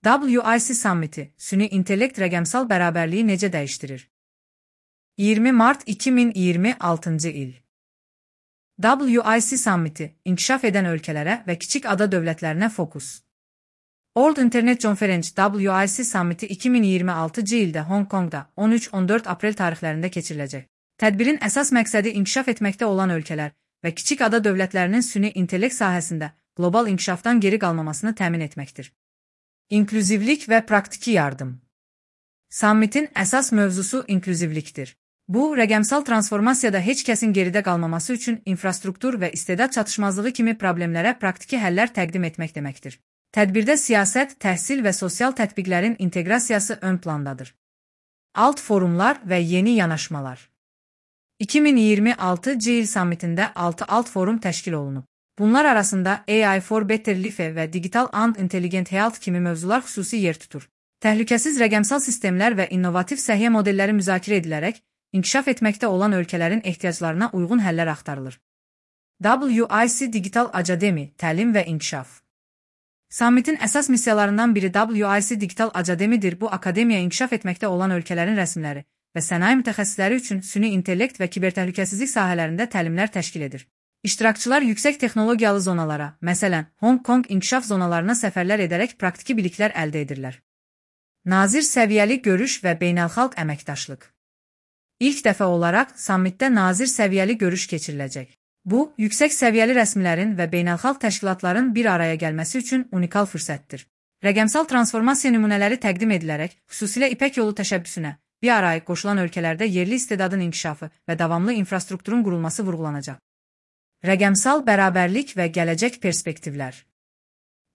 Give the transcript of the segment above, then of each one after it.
WIC Summiti, süni intellekt rəqəmsal bərabərliyi necə dəyişdirir? 20 Mart 2026 il. WIC Summiti, inkişaf edən ölkələrə və kiçik ada dövlətlərinə fokus. World Internet Conference WIC Summiti 2026 ildə Hong Kongda 13-14 aprel tarixlərində keçiriləcək. Tədbirin əsas məqsədi inkişaf etməkdə olan ölkələr və kiçik ada dövlətlərinin süni intellekt sahəsində qlobal inkişafdan geri qalmamasını təmin etməkdir. İnklüzivlik və praktiki yardım. Sammitin əsas mövzusu inklüzivlikdir. Bu, rəqəmsal transformasiyada heç kəsin geridə qalmaması üçün infrastruktur və istedad çatışmazlığı kimi problemlərə praktiki həllər təqdim etmək deməkdir. Tədbirdə siyasət, təhsil və sosial tətbiqlərin inteqrasiyası ön plandadır. Alt forumlar və yeni yanaşmalar. 2026 il sammitində 6 alt forum təşkil olunub. Bunlar arasında AI for Better Life və Digital and Intelligent Health kimi mövzular xüsusi yer tutur. Təhlükəsiz rəqəmsal sistemlər və innovativ səhiyyə modelləri müzakirə edilərək, inkişaf etməkdə olan ölkələrin ehtiyaclarına uyğun həllər axtarılır. WIC Digital Academy, təlim və inkişaf. Sammitin əsas missiyalarından biri WIC Digital Academy-dir. Bu akademiya inkişaf etməkdə olan ölkələrin rəsmləri və sənaye mütəxəssisləri üçün süni intellekt və kibertəhlükəsizlik sahələrində təlimlər təşkil edir. İştirakçılar yüksək texnologiyalı zonalara, məsələn, Hong Kong inkişaf zonalarına səfərlər edərək praktiki biliklər əldə edirlər. Nazir səviyyəli görüş və beynəlxalq əməkdaşlıq. İlk dəfə olaraq sammitdə nazir səviyyəli görüş keçiriləcək. Bu, yüksək səviyyəli rəsmilərin və beynəlxalq təşkilatların bir araya gəlməsi üçün unikal fürsətdir. Rəqəmsal transformasiya nümunələri təqdim edilərək, xüsusilə İpək yolu təşəbbüsünə bir araya qoşulan ölkələrdə yerli istedadın inkişafı və davamlı infrastrukturun qurulması vurğulanacaq. Rəqəmsal bərabərlik və gələcək perspektivlər.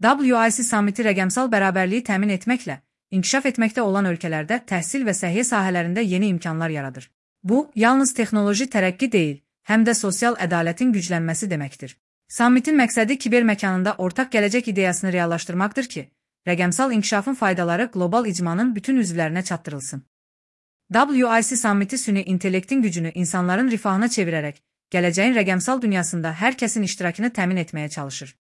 WIC Summiti rəqəmsal bərabərliyi təmin etməklə, inkişaf etməkdə olan ölkələrdə təhsil və səhiyyə sahələrində yeni imkanlar yaradır. Bu, yalnız texnoloji tərəqqi deyil, həm də sosial ədalətin güclənməsi deməkdir. Sammitin məqsədi kiber məkanında ortaq gələcək ideyasını reallaşdırmaqdır ki, rəqəmsal inkişafın faydaları qlobal icmanın bütün üzvlərinə çatdırılsın. WIC Summiti süni intellektin gücünü insanların rifahına çevirərək, gələcəyin rəqəmsal dünyasında hər kəsin iştirakını təmin etməyə çalışır.